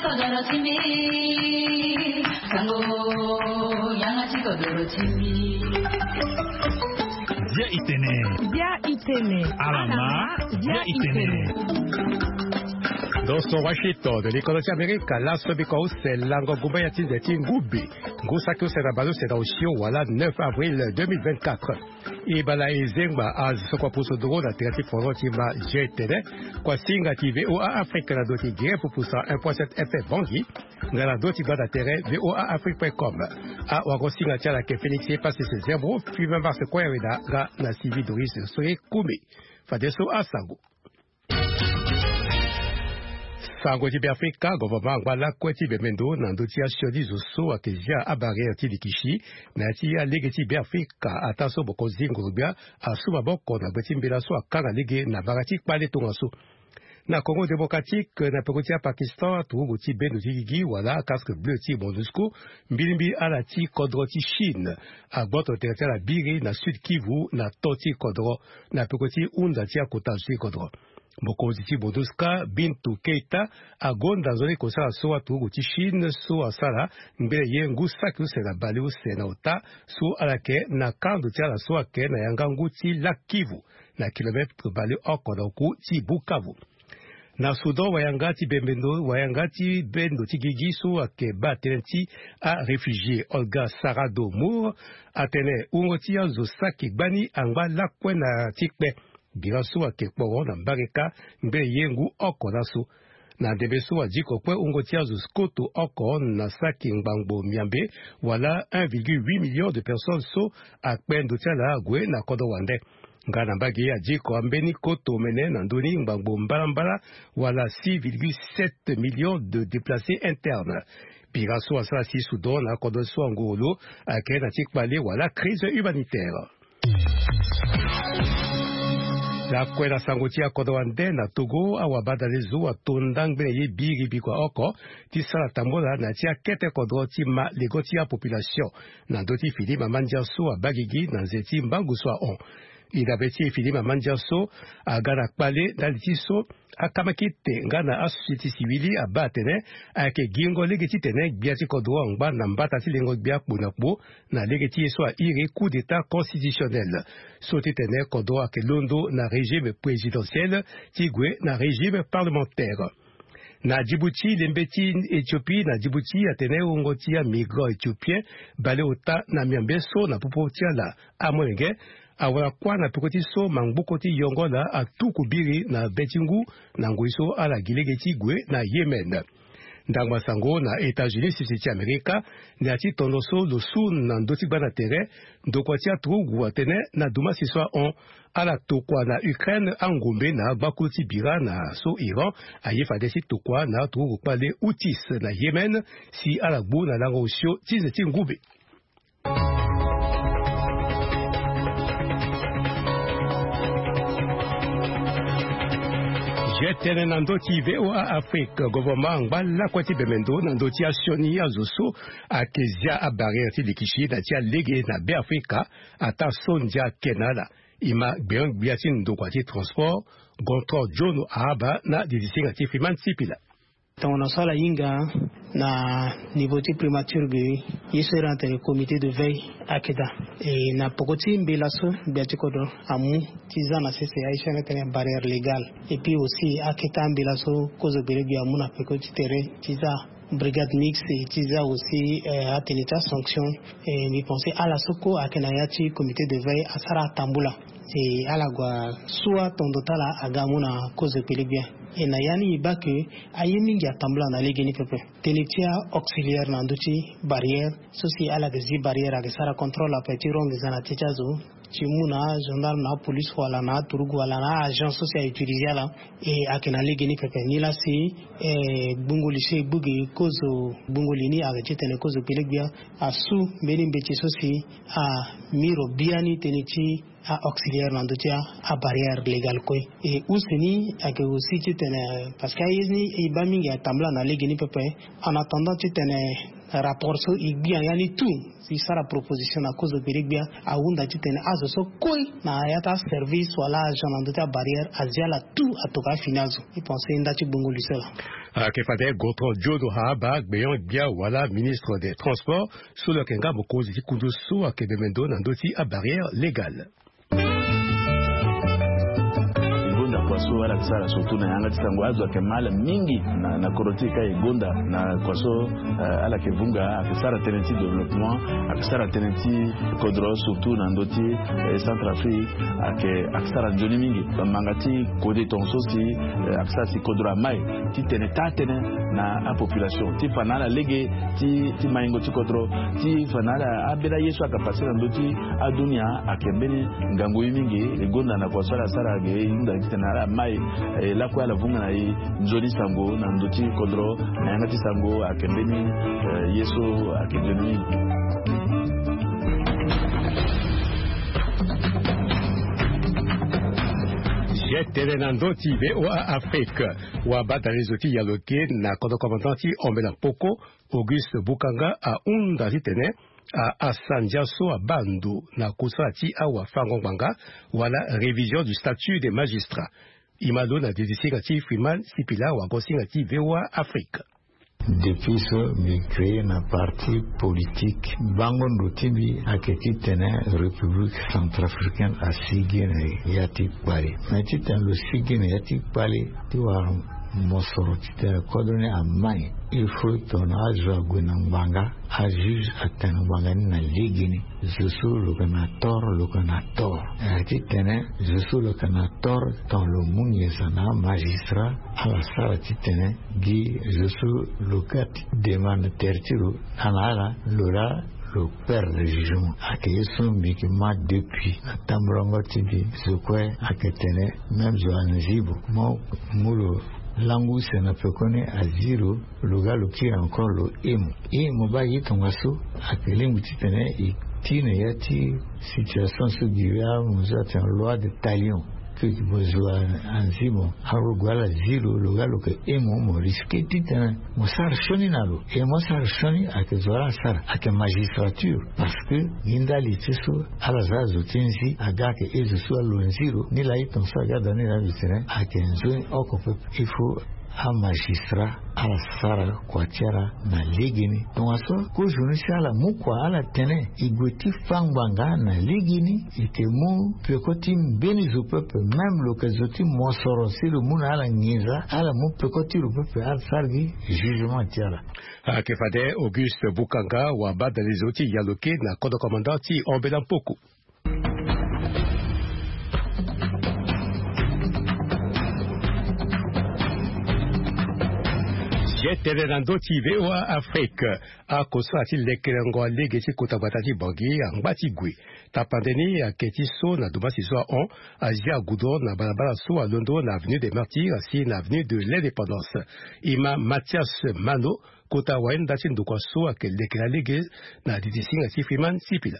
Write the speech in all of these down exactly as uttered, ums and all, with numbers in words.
Kodoro ti mbi, sango, yanga ti kodoro ti mbi. Bia itene. Bia itene. Alama, bia itene. Ndo so Washington, likolo ti Amerika, laso biko use lango gumba ya ti nze ti ngube. Ngu saki use na baleuse na osio wala neuf avril deux mille vingt-quatre. E bala e zengba azo so kua pusu nduru na tere ti français ti ma je tene. Kua singa ti V O A Afrique na ndo ti Guinée pupusa un point sept F M Bangui. Nga na ndo ti gbanda tere V O A Afrique point com. Awago singa ti ala ke Félix Epasese Zembro, Fubin Mars Koyaweda nga na Sylvie Doris Soye Koumé. Fadeso asango. Sango ti Beafrika, gouvernement angba lakue ti bembe ndo na ndö ti asioni zo so ayeke zia abarrière ti likisi na ya ti alege ti Beafrika, ataa so mokonzi nguru-gbia asu maboko na gbe ti mbela so akanga lege na bara ti kpale tongaso. Na Congo démocratique, na peko ti aPakistan, aturugu ti bendo ti gigi wala casque bleu ti MONUSCO, mbilimbili ala ti kodro ti Chine, agboto tere ti ala biri na Sud Kivu na to ti kodro, na peko ti hunda ti akota zo ti kodro. Mokonzi ti MONUSCO, Bintou Keita, agonda nzoni kosala so aturugu ti Chine so asara ngbene ye ngu saki use na baleuse na ota so ala yeke na kando ti ala so ayeke na yanga ngu ti Lac Kivu, na kilometre baleoko na oku ti Bukavu. Na Soudan, wayanga ti bembe ndo, wayanga ti bendo ti gigi so ayeke baa tënë ti aréfugié, Olga Sarado Mour, atene wungo ti azo saki gbani angba lakue na ti kpe. Bira so ayeke kporo na mbareka ngbene ye ngu oko laso. Na ndembe so adiko kue wungo ti azo koto oko na saki ngbangbo miambe, wala un virgule huit million de personnes so akpe ndo ti ala ague na kodro wande. Nga na mbage adiko ambeni koto omene na ndoni ngbangbo mbalambala, wala six virgule sept millions de déplacés internes. Bira so asara si Soudan na akodro so anguru lo ayeke na ti kpale wala crise humanitaire. Lakue na sango ti akodro wande na Togo, awabadale zo ato ndangbene ye biri bikua oko ti sara tambola na ya ti akete kodro ti ma lego ti apopulation na ndö ti fini mama ndia so abaa gigi na nze ti mbangu so ahon. E dabe ti e fini mama ndia so aga na kpale ndali ti so akamakite nga na asosieti sivili abaa atene ayeke gingo lege titene gbia ti kodro angba na mbata ti lengo gbia kpo na kpo na lege ti ye so airi coup d'état constitutionnel. So titene kodro ayeke londo na régime présidentiel ti gue na régime parlementaire. Na Djibouti, lembe ti Éthiopie na Djibouti atene wungo ti amigrant éthiopien baleota na miambe so na popo ti ala amolenge awara kuâ na peko ti so mangboko ti yongo ala atuku biri na be ti ngu na ngoi so ala gi lege ti gue na Yémen. Ndangba sango na États-Unis, sese ti Amerika, na ya ti tondo so lo su na ndö ti gbanda tere, ndokua ti aturugu atene na dumasi so ahon, ala tokua na Ukraine angombe na agbakulu ti bira na so Iran aye fade ti tokua na aturugu kpale Houthis na Yémen, si ala gbu na lango osio ti nze ti ngube. Je tene na ndö ti V O A Afrique, gouvernement angba lakue ti bembe ndo na ndö ti asioni azo so ayeke zia abarrière ti likisi na ti alege na Beafrika, ataa so ndia ake na ala. E ma gbengbia ti ndokua ti transport, Gontran John Ahaba na didisinga ti Freeman Sipila. Tongana so ala hinga na niveau ti primature ge, ye so iri atene comité de veille ake daa. E na poko ti mbela so gbia ti kodro amu ti za na sese aye so iri atene barrière légale. Et puis aussi ake taa mbela so kozo gbele gbia amu na peko ti tere ti za brigade mixte ti za aussi, eh, atene ti asanction. Eh, mbi pense ala so kue ayeke na ya ti comité de veille asara atambula. E ala gue asu atondo ti ala aga amu na kozo gbele gbia. E na ya ni e baa ke aye mingi atambula na legeni pepe. Tënë ti a-auxiliaire na ndö ti barrière so si ala yeke zi barrière ayeke sara contrôle ape ti ro nginza na ti ti azo ti mu na agendarme na apolice wala na aturugu wala na a-agent so si a-utiliser ala. E ayeke na legeni pepe. Nilaa si, eh, gbungo li so e gbu gi kozo gbungo li ni ayeke titene kozo gbele gbia asu mbeni mbeti so si ami ro biani tënë ti a-auxiliaire na ndö ti a-barrière légale kue. E use ni ayeke aussi titene, parce que aye ni e baa mingi atambula na legeni pepe. En attendant titene Rapport so e gbia ya ni tout, si sara proposition na kozo gbele gbia, ahunda titene azo so kue na ya ti aservice wala agent na ndö ti abarrière azi ala tout atoka afini azo. E pense nda ti gbongo lui so laa. Ayeke fade Gontran Jodo Ahaba, gbenyo-gbia wala ministre des transports, so lo yeke nga mokonzi ti kundu so ayeke bembe ndo na ndö ti abarrière légale. E gonda kua so ala yeke sara surtout na yanga ti sango, azo ayeke mal mingi na, na kodro ti e ka e gonda na kua so, eh, ala yeke vunga, ayeke sara tënë ti développement, ayeke sara tënë ti kodro surtout na ndö ti, eh, Centrafrique, ayeke, ayeke sara nzoni mingi. Bamanga ti kode tongaso si, eh, ayeke sara si kodro amai ti tene taa tënë na apopulation ti fa na ala lege ti, ti maingo ti kodro, ti fa na ala ambeni aye so ayeke pase na ndö ti adunia, ayeke mbeni ngangu ye mingi. E gonda na kua so ala sara ge, e hunda titene ala mai, eh, lakue ala vunga na e nzoni sango na ndö ti kodro, na yanga ti sango ayeke mbeni, eh, ye so ayeke nzoni mingi. Ye tene na ndö ti V O A Afrique, wabadale zo ti yaloke na kodro commandant ti Ombela Mpoko, Auguste Bukanga ahunda titene a, asandia so abaa ndo na kosala ti awafango-ngbanga wala révision du statut des magistrats. E ma lo na didi singa ti Freeman Sipila, wago-singa ti V O A Afrique. Depuis so mbi créé na parti politique, bango ndo ti mbi ayeke titene République centrafricaine asigi na ya ti kpale. Mais titene lo sigi na ya ti kpale ti wara mosoro titene kodro ni amai, il faut tongana azo ague na ngbanga, ajuge atene ngbanga ni na legeni. Zo so lo yeke na tort, lo yeke na tort. Eh, titene zo so lo yeke na tort, tongana lo mu nginza na amagistrat, ala sara titene gi zo so lo ga ti demande tere ti lo, ala na ala, lo laa lo perdre jugement. Ayeke ye so mbi yeke ma depuis na tambulango ti mbi. Zo kue ayeke tene même zo anzibo, mo mu lo langu use na pekoni azi lo, lo ga lo kiri encore lo hemo. E mo baa ye tongaso ayeke lingbi titene e ti na ya ti situation so gi ya mo zo atene loi de talion. Ke ti mo zo anzi mo, aro gue ala zi lo, lo ga lo yeke hemo, mo risque titene mo sara sioni na lo. E mo sara sioni, ayeke zo ala sara, ayeke magistrature. Parce que gi ndali ti so ala za zo ti nzi aga ayeke e zo so alo nzi lo. Ni laa e tongaso aga daa ni laa mbi tene ayeke nzoni oko pepe. Il faut amagistrat ala sara kua ti ala na legeni. Tongaso kozo ni si ala mu kua ala tene e gue ti fa ngbanga na legeni, e yeke mu peko ti mbeni zo pepe, même lo yeke zo ti mosoro si lo mu na ala nginza, ala mu peko ti lo pepe, ala sara gi jugement ti ala. Ayeke fade Auguste Bukanga, wabadale zo ti yaloke na kodro commandant ti Ombela Mpoko. Ye tene na ndö ti V O A Afrique. Akosala ti lekerengo alege ti kota gbata ti Bangui angba ti gue. Tapande ni ayeke ti so na domasi so ahon, azia goudron na balabala so alondo na avenue des Martyrs si na avenue de l'Indépendance. E ma Mathias Mano, kota wayenda ti ndokua so ayeke lekere alege, na didi singa ti Freeman Sipila.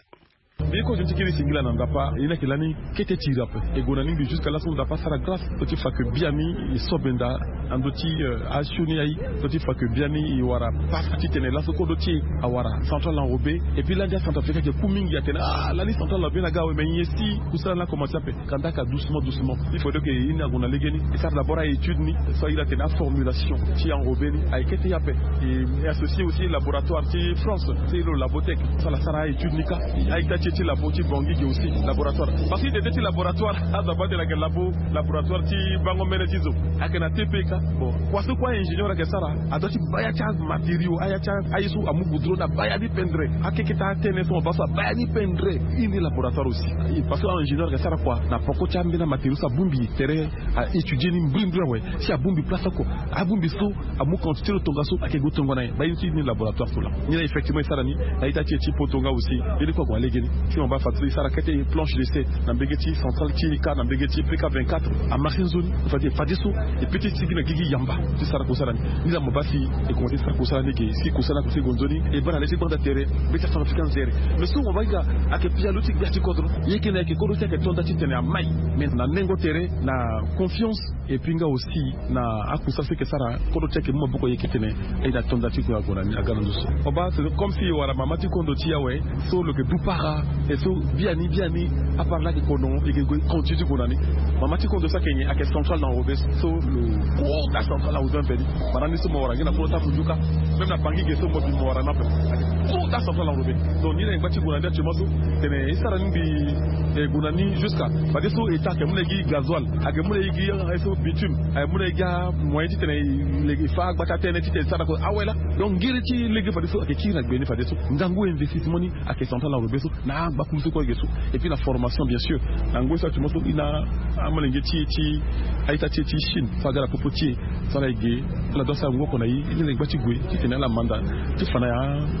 Mbi ye kozo ti kiri singila na Ndapa, e ni ayeke lani kete ti iri ape. E gue na lingbi jusqu'à laso Ndapa asara grâce. Lo ti fa que biani e so benda na ndö ti, euh, asioni aye. Lo ti fa que biani e wara passe titene laso kodro ti e awara central enrobé. Et puis lani aCentrafricain ayeke ku mingi atene, ah, lani central enrobé ni aga awe, mais nyen si kusala ni akomanse ape? Kanda aka doucement, doucement. Il faudrait que e ni ague na legeni, e sara d'abord aétude ni so a iri atene aformulation ti enrobé ni ayeke kete ye ape. E, e associer aussi laboratoire ti France, ti lo Labotech, so ala sara aétude ni kâ. A-ita ti e ti labo ti Bangui ge aussi laboratoire. Parce que tete ti laboratoire, azo abaa tene ayeke labo, laboratoire ti bango mbene ti zo. Ayeke na T P kâ. Bon, kua so kue aingénieur ayeke sara, adoit ti baa ya ti amatériaux, aya ti a, aye so amu goudron, abaa ya ni pendere. Akeke ti atene so mo baa so abaa ya ni pendere. E ni laboratoire aussi. Parce que aingénieur ayeke sara kua na poko ti ambeni amatériaux so abongbi tere, a étudier ni mbirimbiri awe. Si abongbi place oko, abongbi so, amu quantité lo tongaso, ayeke gue tongo na nyen? Baa ye ni ti ni laboratoire so laa. Ni laa effectivement e sara ni na ita ti e ti poto nga aussi. Ye ni kue ague na legeni. Si mo baa fade so e sara kete planche d'essai na mbege ti centrale ti nika na mbege ti pk vingt-quatre, amarché nzoni. Fade fadeso e pe ti sigi na gigi yamba ti sara kosala ni. Ni la mo baa si e komanse ti sara kosala ni ke si kosala ni ako sigi gue nzoni, e baa na le ti gbanda tere. Be ti asango fika nzere. Mais so mo baa ika ayeke pialo ti gbia ti kodro. Ye ke na ayeke kodro ti ayeke to nda titene amai. Mais na nengo tere na confiance. Et puis nga aussi na akusala so e yeke sara kodro ti e ayeke mu maboko e yeke tene. E na to nda ti kue ague na ni aga na ndo so. Mo baa c'est comme si e wara mama ti kondo ti e awe. So lo yeke du para. E so biani biani apara laa ayeke kono e yeke gue continue ti gue na ni. Mama ti kondo so ayeke nyen? Ayeke central na enrobé. So lo kota central na enrobé ape ni. Mara ni so mo wara ngia na kolo ti afujuka. Même na bangi ge so mo bi mo wara ni ape. Ayeke kota central na enrobé. Donc ni na e ngba ti gue na ni actuellement so tene e sara ni mbi e gue na ni jusqu'à fadeso e ta ayeke mu na e gi gasoil. Ayeke mu na e gi e so bitume. Ayeke mu na e gi amoyen titene e fa agba ti atene titene e sara ko awe laa. Donc ngiri ti lege fadeso ayeke kiri na gbe ni fadeso. Ngangu investissement ni ayeke central na enrobé so na angba kulu so kue ayeke so. Et puis na formation bien sûr na ngoi so actuellement so e na amolenge ti e ti a-ita ti e ti Chine so aga na popo ti e. So ala e ge ala do asara ngu oko na e. E ni na e ngba ti gue titene ala manda ti fa na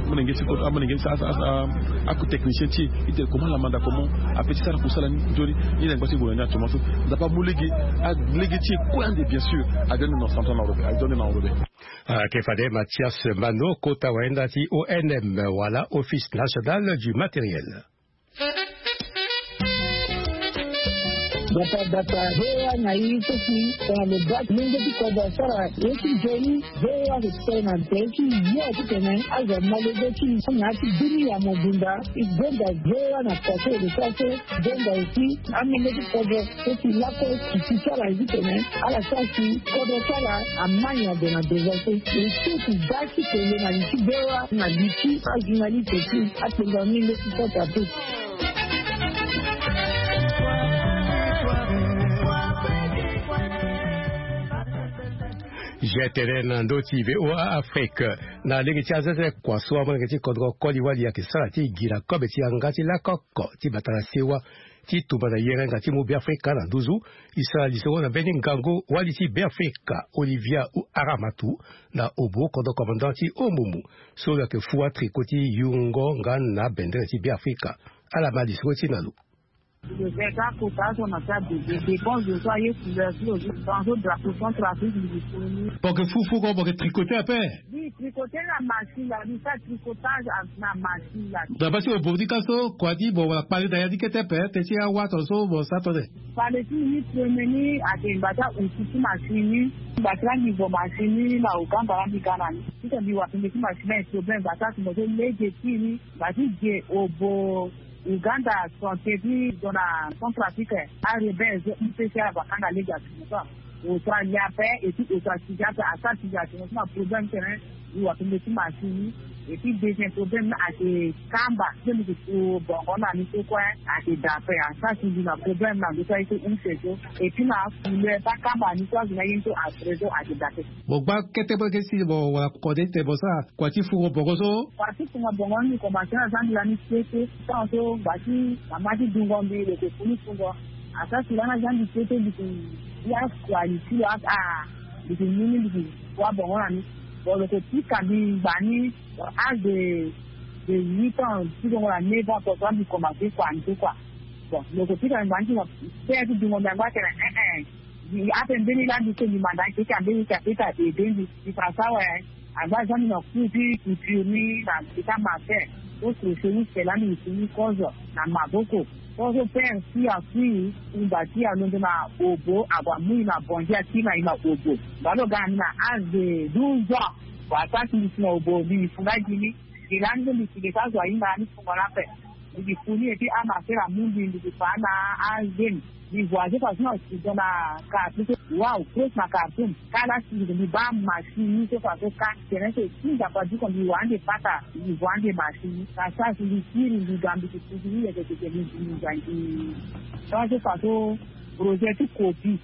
amolenge ti kodro amolenge ti asa asa aku technicien ti e. Titene comment ala manda comment ape ti sara kusala ni nzoni. E ni na e ngba ti gue na ni actuellement so. Nzapa amu lege alege ti e kue ande bien sûr. Adio ande na central na enrobé adio ande na enrobé. Ayeke fade Mathias Mano kota wayenda ti O N M wala Office National du Matériel. Data data V O A na i so si tongana lo baa ti lenge ti kodro asara ye ti nzoni. V O A ayeke ti tene na tere ti yo titene azo amolenge ti na ya ti bini ya mobimba. E gonda V O A na poto ere so aso gonda aussi amolenge ti kodro so si lakue ti ti ti ala ye titene ala sara si kodro ti ala amai na gue na devance. E so ti baa ti kele na li ti V O A na li ti ajournaliste ti akpengani leti kota pe. Gtd na ndö ti V O A Afrique. Na lege ti azeze kua so amolenge ti kodro koli wali ayeke sara ti gi na kobe ti yanga ti lakoko ti bata na sewa ti tumba na yerenga ti mu Beafrika na nduzu. E sara lisoro na mbeni ngangu wali ti Beafrika Olivia Aramatu na obo kodro commandant ti Omumu so lo yeke fua tricot ti yungo nga na bendere ti Beafrika. Ala ma lisoro ti na lo. Lo yeke ka kota azo na ti abebe dépense zo so aye couleur ti lo so. Tongana so drapeau Centrafrique mbi yeke foni. Mo yeke fu fugo mo yeke tricoter ape. Mbi tricoter na machine la mbi sara tricotage na machine la. Na baa si mo bongbi ka so kua ni mo wara kpale na ya ni kete ape te ti awato so mo sara tone. Kpale ti mbi ni premier ni ayeke ngba ti auti ti machine ni. Ngba ti la mbi vo machine ni na Ouganda la mbi ga na ni. Titene mbi wara pembe ti machine ni ayeke problème ngba ti atumba so lege ti ni ngba ti ge obo. Ouganda santé ti zo na Centrafrique. Arebelle zo i pe si ala va kanga lege atumba so. Auto alia ape et puis auto asigi ape asara sigi atumba so na problème tene. Mbi wara pembe ti machine ni. Et puis deuxième problème ni ayeke kamba so mbi yeke bongo na ni so kue. Ayeke da ape asara sigi na problème na ndo so aye so use so. Et puis na couleur ti akamba ni so azo ni aye ni so après so ayeke da ape. Mo gba kete mo yeke si mo wara kode ti tene mo sara kua ti fungo bongo so. Kua ti fungo bongo ni mbi komanse na zia mbi lani kete. Tan so ngba ti mama ti dungo mbi lo yeke funi fungo. Asara si lani azia mbi kete mbi yeke ya kua li ti lo aka. Mbi yeke mu ni mbi yeke wa bongo na ni. Bon lo yeke pika mbi ngba ni. Âge de de huit ans ti dungo na neuf ans so mbi komanse kua ni so kua. Bon lo yeke pika mbi ngba ni ti mo père ti dungo mbi angba atene eh eh. Ape mbeni laa mbi so mbi manda akeke ambeni ti apeta ede mbi. Mbi fa so awe. Angba azia mbi na cours ti couture ni na mbi ti amatin. So crochet ni se laa mbi mbi si ni kozo na maboko. Kozo père si akui. Ngba ti alondo na obo ague amu i na bongi akiri na i na obo. Ngba lo ga na mbi na âge de douze ans. Bon ata si mbi si na obo mbi mbi funga gi ni. Gi laa ni so mbi si ge so azo ahinga ni fungo laa ape. Mbi gi fu ni et puis amasera amu mbi mbi gi fa na azemi. Mbi voyage façon na sudan na cartoum so. Waw pros na cartoum. Kala si mbi gi mbi baa machine ni so façon ka. Tene so si nzapa diko mbi wa ande pata mbi voyage machine ni na sa si mbi kiri mbi ga mbi gi fu gi ni yeke teke mbi gi mbi ga gi. Sa so façon projet ti kopi.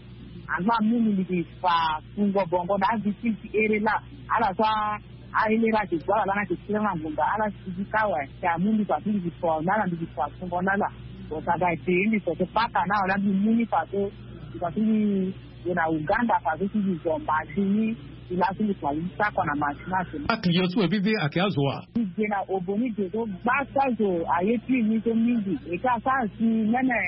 Angba amu mbi mbi gi fa fungo bongo na avictime ti here laa. Ala so ahelera ake gua ala lana ake kira na ngonga ala sigi kâ awe. Te amu mbi fa so mbi gi fa na ala mbi gi fa fungo na ala. Bon saga e te mbi fa so pata na awe laa mbi mu ni fa so mbi fa so mbi gue na uganda fa so si mbi zo machine ni. Ti laso mbi kua li ti sakua na machine ake. Akliyo so mo bibi ake azo wa. Mbi ge na obo ni ge so gbasa zo aye ti ni so mingi. Eke asara si mene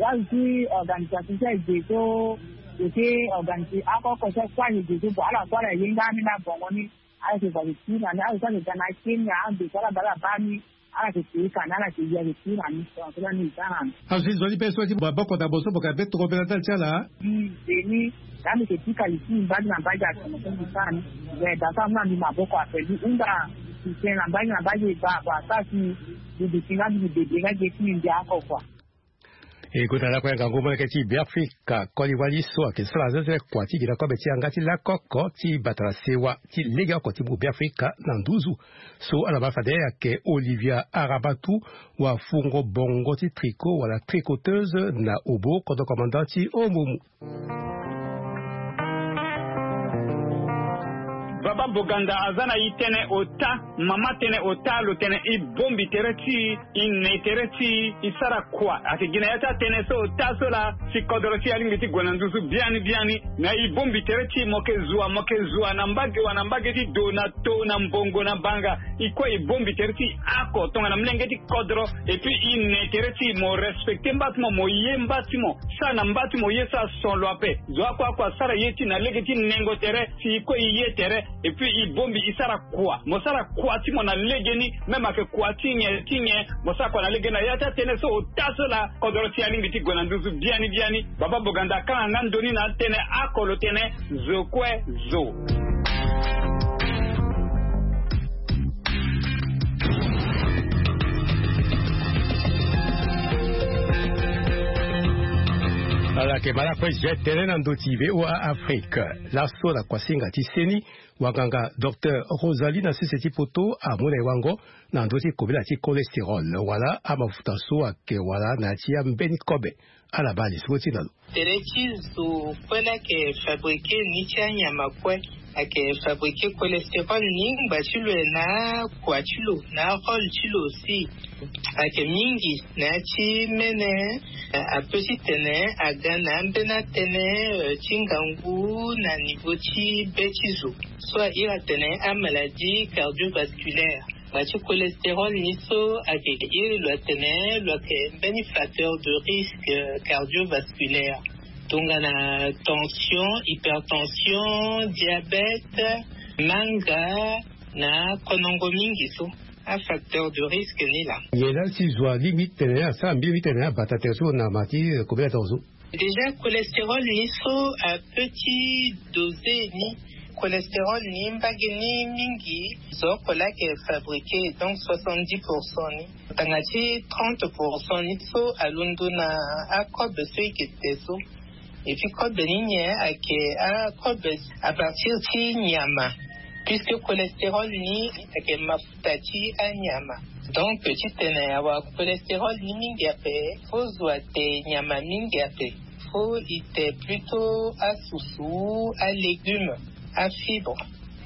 azo ti organisation so ege so eke organise akoko so kua ege so bo ala kua ala ye nga ni na bongo ni. Ala ke bale ti na ni azo so ake ga na kenya ando so ala bale abaa ni. Ala ke kiri ka na ala ke ya ke kiri na ni so ala ni za na ni. Azo ti zo ni be so ti baboko na bo so boka be toko be na ndali ti ala. Ni zeni. Ka mbi ke pika li ti mbage na mbage atongo so mbi sara ni. We da so amu na mbi maboko ape mbi hunda. Mbi tene na mbage na mbage ba ba sa si mbi duti nga mbi bebe nga ge ti mbi mbi ako kua. E gonda lakue ngangu moleke ti Beafrika koli wali so ayeke sara zezele kua ti gi na kobe ti yanga ti lakoko ti bata na sewa ti legeoko ti mu Beafrika na nduzu. So ala ma fade ayeke Olivia Arabatu, wafungo bongo ti tricot wala tricoteuse na obo kodro commandant ti Omomu. Baba Boganda aza na i tënë ota, mama tënë ota lo tene i bombi tere ti i, i ne tere ti i, i sara kua. Ayeke gi na ya ti atënë so ota so laa si kodro ti i alingbi ti gue na nduzu biani biani. Me i bombi tere ti i mo yeke zua mo yeke zua na mbage wa na mbage ti do na to na mbongo na banga. I kue i bombi tere ti i ako tongana molenge ti kodro. Et puis i ne tere ti i mo respecte mba ti mo mo ye mba ti mo. Sara na mba ti mo ye so ason lo ape. Zo akua akua asara ye ti na lege ti nengo tere. Si i kue i ye tere. Et puis i bombi i sara kua mo sara kua ti mo na legeni. Même ayeke kua ti nyen ti nyen mo sara kua na legeni na ya ti atënë so ota so laa kodro ti alingbi ti gue na nduzu biani biani. Baba Boganda akanga nga ndoni na atënë ako lo tene zo kue zo. Ala yeke ma lakue je tënë na ndö ti voa Afrique. Laso na kuasinga ti seni wanganga docteur Rosalie na sese ti poto amu na e wango na ndö ti kobela ti cholestérol wala amafuta so ayeke wala na ya ti ambeni kobe. Ala baa li so ti na lo. Tere ti zo kue laa ayeke fabriqué ni ti anyama kue. Ayeke fabriqué cholestérol ni ngba ti lo na kua ti lo na arole ti lo aussi. Ayeke mingi na ya ti mene. Ape ti tene aga na ambeni atënë ti ngangu na niveau ti be ti zo so airi atene amaladie cardiovasculaire. Ba ti cholestérol ni so ayeke iri lo atene lo ayeke mbeni facteur de risque cardiovasculaire. Tongana tension, hypertension, diabète, manga na konongo mingi so. Afacteur de risque ni laa. Nyen la si zo alingbi ti tene asara mbi lingbi ti tene abata tere so na ma ti kobela tongo so. Déjà cholestérol ni so ape ti dosé ni. Cholestérol ni mbage ni mingi zo oko laa ayeke fabriqué donc soixante-dix pour cent ni. Tanga ti trente pour cent ni so alondo na akobe so e ke te so. Et puis kobe ni nyen ayeke akobe à partir ti nyama. Puisque cholestérol ni ayeke mafuta ti anyama. Donc ti tene awa cholestérol ni mingi ape fo zo ate nyama mingi ape. Fo i te plutôt asusu, alégume, afibre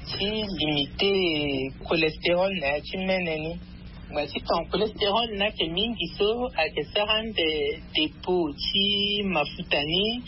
ti limité cholestérol na ya ti mene ni. Ngba ti ton cholestérol ni ayeke mingi so ayeke sara ande dépôt ti mafuta ni.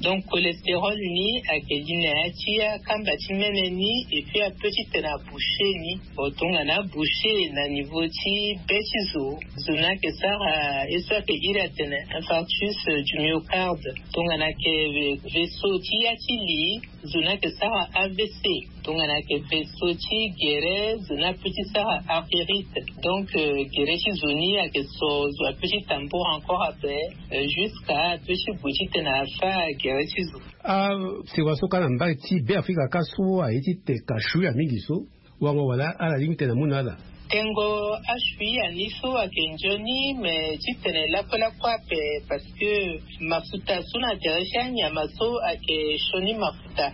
Donc cholestérol ni ayeke li na ya ti akamba ti mene ni. Et puis ape ti tene abouché ni. Tongana abouché na niveau ti be ti zo. Zo ni ayeke sara ye so ayeke iri atene infarctus du myocarde. Tongana ayeke vaisseau ti ya ti li. Zo ni ayeke sara avc. Tongana ayeke vaisseau ti gere zo ni ape ti sara artérite. Donc gere ti zo ni ayeke so zo ape ti tambour encore ape. Jusqu'à ape ti gue ti tene afa gere ti zo. Ah, sewa so ka na mbage ti be afrika ka so aye ti te ka shuya mingi so. Wango wala ala lingbi tene amu na ala. Tengo ashuya ni so ayeke nzoni mais ti tene lakue lakue ape. Parce que mafuta so na tere ti anyama so ayeke sioni mafuta.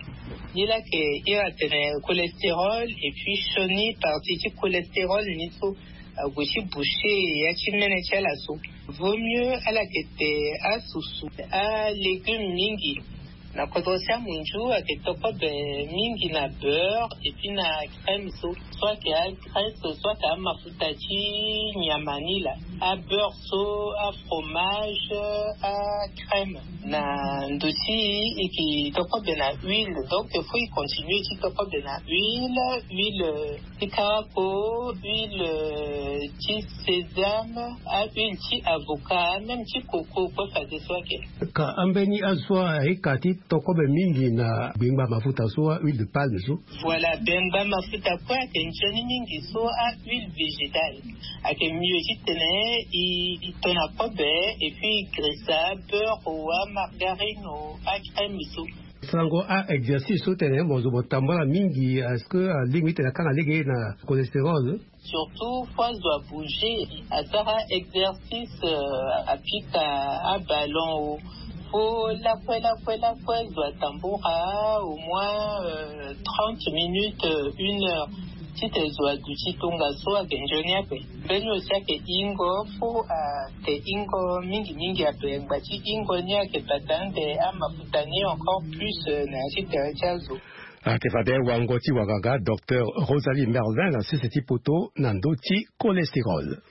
Ni laa ayeke iri atene cholestérol et puis sioni partie ti cholestérol ni so ague ti boucher ya ti mene ti ala so. Vaut mieux ala yeke te asusu alégume mingi. Na kodro ti amunzu ayeke toko be mingi na beurre et puis na crème so. Soit ayeke agraisse soit ayeke amafuta ti nyama ni laa. Abeurre so, afromage, acrème. Na ndo ti e ke tokobe na huile, donc il faut e continue ti tokobe na huile, huile ti karako, huile ti sésame, ahuile ti avocat, même ti coco kue fadeso ake. Ka ambeni azo aye ka ti tokobe mingi na gbengba mafuta so, ahuile de palme so? Voilà, gbengba mafuta kue ake nzoni mingi so, ahuile végétale. Ake mieux titene e to na kobe, et puis e grisa beurre o, amargarine o, acrème so. Sango, a exercice so tene mo zo mo tambula mingi, est-ce que alingbi tene akanga lege na cholestérol? Surtout fo azo abouger, asara exercice, apika aballon o. Fo lakue lakue lakue zo atambula au moins trente minutes, une heure, tite zo aduti tongaso ake nzoni ape. Mbeni aussi ake ingo, fo ake ingo mingi mingi ape, ngba ti ingo ni ake bata ande amafuta ni encore plus na ya ti tere ti azo. Ake fade wango ti wanganga docteur Rosalie Mervin na sese ti poto na ndo ti cholestérol.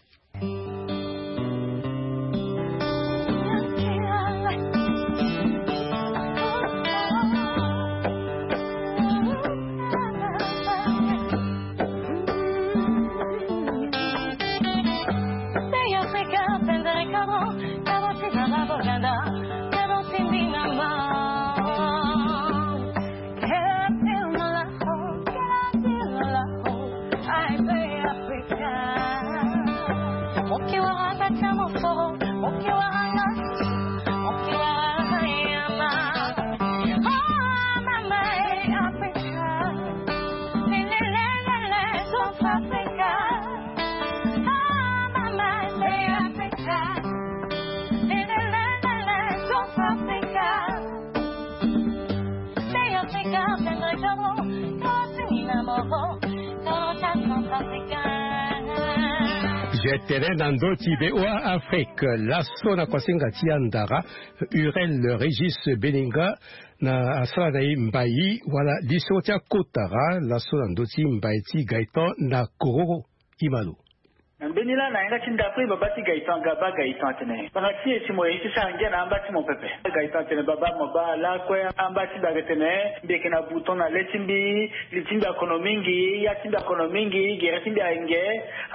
Gue tere na ndo ti V O A Afrique, laso na kuasinga ti andara, Urel Régis Beninga na asara na e mbai wala liso ti akotara laso na ndo ti mbai ti Gaëtan na Kororo. Imalo. Na mbeni laa na yanga ti ndapre baba ti Gaëtan, ga baa Gaëtan atene, banga ti e si mo ye ti sara ngia na amba ti mo pepe. Gaëtan atene, baba, mo baa lakue amba ti bake tene mbi yeke na bouton na le ti mbi, li ti mbi akono mingi, ya ti mbi akono mingi, gere ti mbi ayeke nge.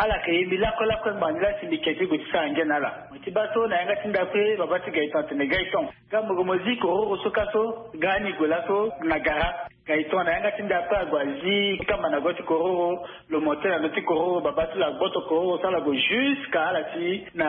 Ala yeke ye mbi lakue lakue ngbanga ni laa si mbi ke ti gue ti sara ngia na ala. Mo ti baa so na yanga ti ndapre baba ti Gaëtan atene, Gaëtan, ga mo gue mo zi kororo so ka so, ga ni gue laso na gara. Gaëtan na yanga ti ndapre ague azi kamba na go ti kororo, lo monte na ndo ti kororo, baba ti lo agboto kororo so ala gue jusqu'à ala ti na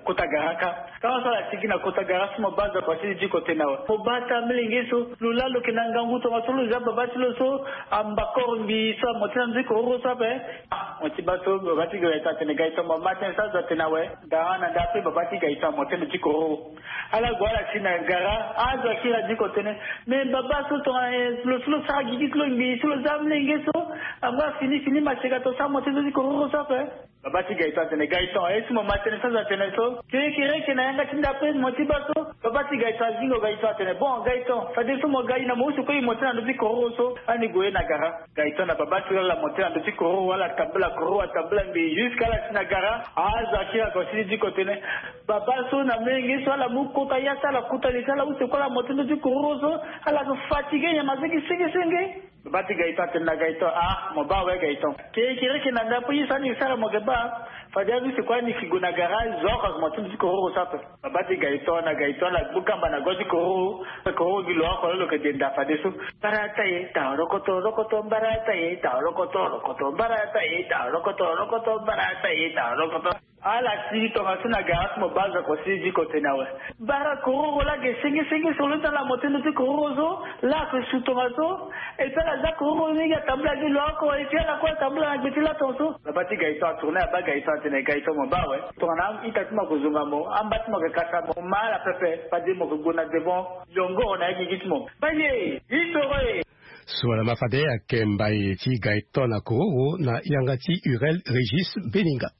kota gara ka. Tanga so ala ti gi na kota gara so mo baa zo akua ti li diko tene awe. Mo baa taa molenge so, lo laa lo yeke na ngangu tongaso lo zia baba ti lo so, ambakoro mbi so amonte na ndo ti kororo so ape. Ah, mo ti baa so baba ti Gaëtan atene, Gaëtan, mo ma tënë so azo atene awe. Gara na ndapre baba ti Gaëtan amonte ndo ti kororo. Ala gue ala si na gara, azo akiri adiko tene, me baba so tongana lo so lo sara gigi ti lo ngbii so lo zia molenge so, angba fini fini maseka to so amonte ndo ti kororo so ape. Baba ti Gaëtan atene, Gaëtan, aye si mo ma tënë so azo atene so. Kekereke na yanga ti ndapre mo ti baa so baba ti Gaëtan azingo Gaëtan atene, bon Gaëtan, fadeso mo ga, e na mo use kue e monte na ndo ti kororo so, ani gue na gara. Gaëtan na baba ti lo ala monte na ndo ti kororo, ala tambula kororo, atambula ngbii jusqu'à ala si na gara. Azo akiri ague asili diko tene, baba so na molenge so ala mu kota ya ti ala, kota li ti ala use kue ala monte ndo ti kororo so, ala so fatigué nyama senge senge senge. Baba ti Gaëtan atene na Gaëtan, ah, mo baa awe Gaëtan. Kekereke na ndapre ye so ani sara mo yeke baa. Fade azo use kue ani yeke gue na gara, zo oko ayeke monte ndo ti kororo so ape. Baba ti Gaëtan na Gaëtan ala gbu kamba na go ti kororo. Kororo gi lo oko lo lo yeke denda fadeso. Mbarata ye, tao rokoto, rokoto, mbarata ye, tao rokoto, rokoto, mbarata ye, tao rokoto, rokoto, mbarata ye, tao rokoto. Ala sigi tongaso na gara so mo baa zo akua sigi diko tene awe. Bara kororo laa ge senge senge so lo ti ala monte ndo ti kororo so, laa ayeke su tongaso. Et puis ala zia kororo ni gi atambula gi lo oko, et puis ala kue atambula na gbe ti laton so. Baba ti Gaëtan atourné abaa Gaëtan atene, Gaëtan mo baa awe. Tongana a-ita ti mo ayeke zonga mo, amba ti mo ayeke kasa mo, mo ma ala pepe, fade mo yeke gue na devant. Yongoro na ya gigi ti mo. Baye, itoro e. So wala ma fade ayeke mbai ti Gaëtan na kororo na yanga ti Urel Régis Beninga.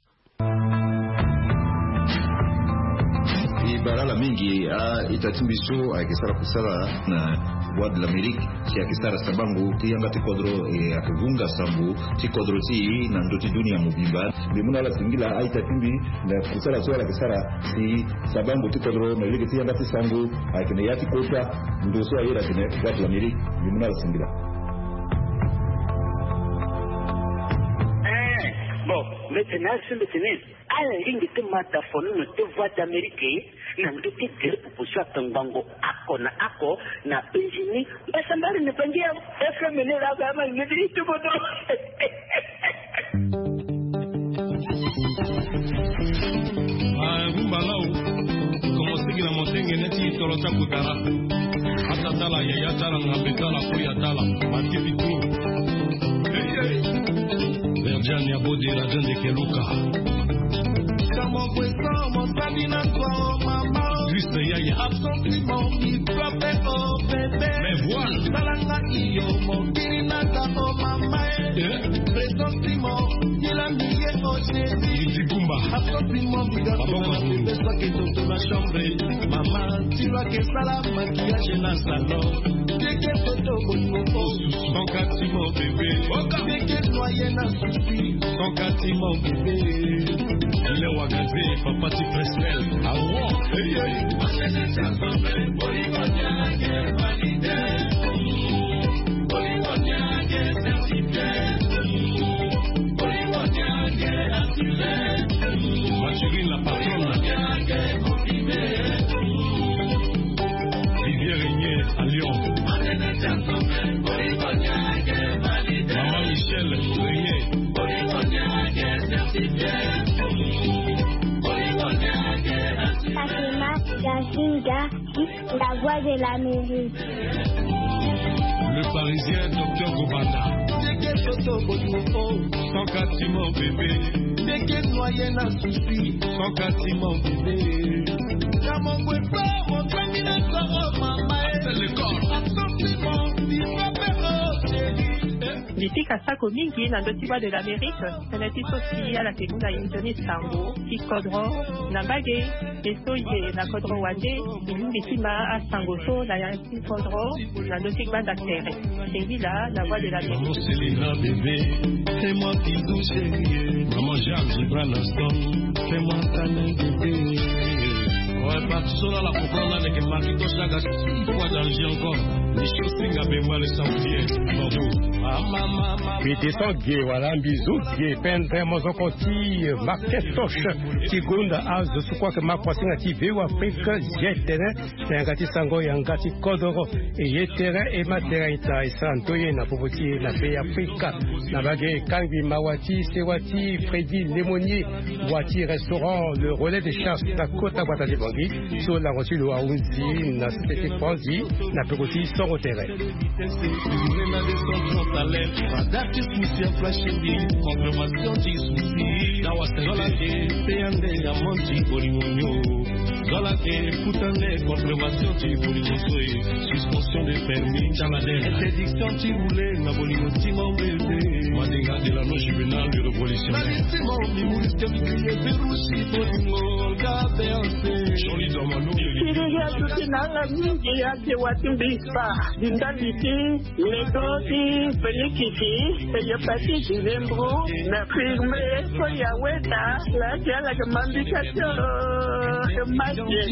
E bara na Mingi a-ita ti mbi so ayeke sara kusala na Voix de l'Amérique, si ayeke sara sabango ti yanga ti kodro, e ayeke vunga sango ti kodro ti e na ndö ti dunia mobimba. Mbi mu na ala singila a-ita ti mbi na kusala so ala yeke sara si sabango ti kodro na lege ti yanga ti sango ayeke na ya ti kota ndo so ayeke na Voix de l'Amérique. Mbi mu na ala singila. Eh, bon, mbeti na asi mbeti ni. Ala lingbi ti ma da fonono ti Voix d'Amérique na ndö ti gere pupu so atongbango oko na oko na États-Unis. Mbasambari ni bangi ya F M ni la ba ma ni ti bodo. Ah, rumba lao. Commencé na mosenge neti tolo ta kutara. Ata tala, yaya tala, ngambe tala, koya tala, matifi tu. Hey, hey. Verdiane ya Bode, la jeune de Keluka. Kamo kweso, mosali na so, mama. Juste yaya. Absent, mon, mi frappe, oh, bébé. Mais voilà. Talanga iyo, mokili na ta, oh, mama, eh. Eh. Présent, mon, il a mis, oh, chéri. Iti Kumba. Absent, mon, mi frappe, oh, bébé. Mama, ti lo ayeke sala maquillage na salon. Keke foto bolingo. Ton kati mon bébé. Keke noye na souci. Ton kati mon bébé. Ile wagaze papa ti Presnel. Awo. Hey, hey. Mathurin, la patronne. Vivier Régnier à Lyon. Maman Michel Régnier. Fatima Gazinga. La Voix de l'Amérique. Le Parisien, docteur Gobanda. Ton kati mon bébé. Ndeke noye na souci. Ton kati mon bébé. Kamo kweso, mosali na so, mama, eh. Appelle le corps. Absent, mon, mi frappe, oh, chéri. Eh. Mbi pika sako mingi na ndö ti Voix de l'Amérique, tënë ti so si ala yeke mu na inzo ni sango ti kodro na mbage, e so e yeke na kodro wande, e lingbi ti ma asango so na ya ti kodro na ndö ti gbanda tere. Singila na Voix de l'Amérique. Maman Selena bébé, fais-moi bisou chérie. Maman Jeanne Gibran Aston, fais-moi câlin bébé. Ouais, parti so la la comprendre avec Marquito Chagas. Pourquoi danger encore? Michel Singa Bemba le sanglier. Bravo. Ah, maman, maman. Mbi descend ge, voilà, mbi zo ge, pendre mozoko ti Marquetoche ti gonda azo so kue ayeke ma kuasinga ti V O A Afrique, zi tene na yanga ti sango yanga ti kodoro. E ye tere e ma tere aita e sara ndoye na popo ti e na Be Afrika. Na mbage kangbi mawa ti sewa ti Freddy Lemonie, wa ti restaurant Le Relais de Chasse na kota gbata ti Bangui, so lango ti lo ahunzi na sese ti Franzi na peko ti songo tere. Suspension de permis. Interdiction ti rouler na bolingo ti mon bébé. Madinga de la non juvénile, le révolutionnaire. Siriri atuti na ala mingi ake wa ti mbi kpa. Di ndali ti ledo ti Felikisi, e yeke ti dilembro na firme so ya weta. Laa ti ala yeke ma mbi ka ti o, e ma ti e.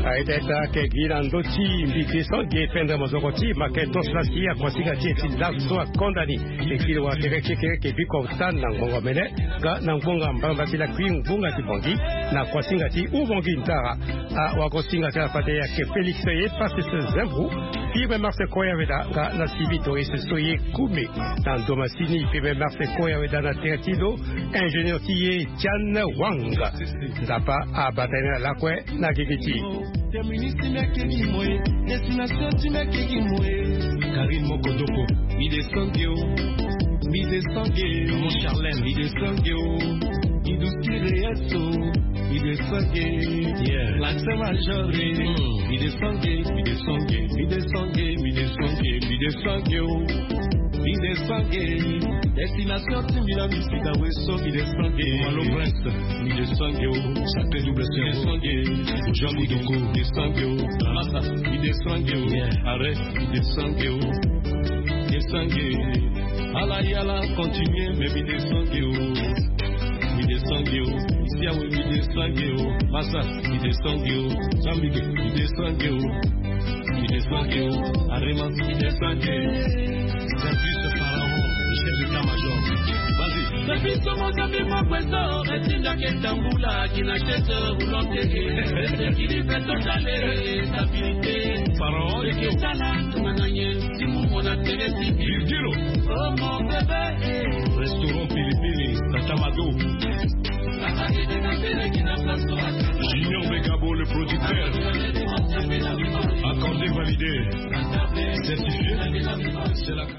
Aita ita ayeke gi na ndö ti mbi descend ge pendre mozoko ti Makentos laa si akuasinga ti e ti laso akonda ni. E kiri wa tere kekereke biko ota na ngbonga mene. Nga na ngbonga mbalambala ti lakui ngbonga ti Bangui na kuasinga ti Ubangui Ntara. Awagosinga ti ala fade ayeke Félix ye Pacis Zembro, Pierre Marcel Koyaweda nga na Sylvie Doris so ye Koumé. Na ndo masini Pierre Marcel Koyaweda na tere ti lo ingénieur ti ye Tian Wang. Nzapa abata ye na lakue na gigi ti. Terminus ti mbi ayeke gi mo e. Destination ti mbi ayeke gi mo e. Karine Mokodoko. Mbi descend ge o. Mbi descend ge. Maman Charlène. Mbi descend ge o. Mbi du Kireyeso, mi descend ge. Yeah. L'accent major, eh. Mm. Mi descend ge, mi descend ge, mi descend ge, mi descend ge, mi descend ge, oh. Mi descend ge. Destination ti mi la mi sika weso, mi descend ge. Malo Prince. Mi descend ge, oh. Sacré double C. Mi descend ge. Jean Bidoko. Mi descend ge, oh. Masa. Mi descend ge, oh. Yeah. Arrête. Mi descend ge, oh. Descend ge. Ala yala, continue, mais mi descend ge, oh. Mi descend ge, oh. Ici, ah oui, mi descend ge, oh. Masa, mi descend ge, oh. Zambike, mi descend ge, oh. Mi descend ge, oh. Arema, mi descend ge. Service Pharaon, le chef d'état-major. Vas-y. Service Mozambique, mon président, retindaki etambula, kina chete, roulante, esekili, beto, tale, stabilité. Pharaon, ekesala, tumana ye. Virgilo. Restaurant Pilipili, Tata Mado. Junior Begabo, le producteur. Accordé, validé. Certifié. C'est la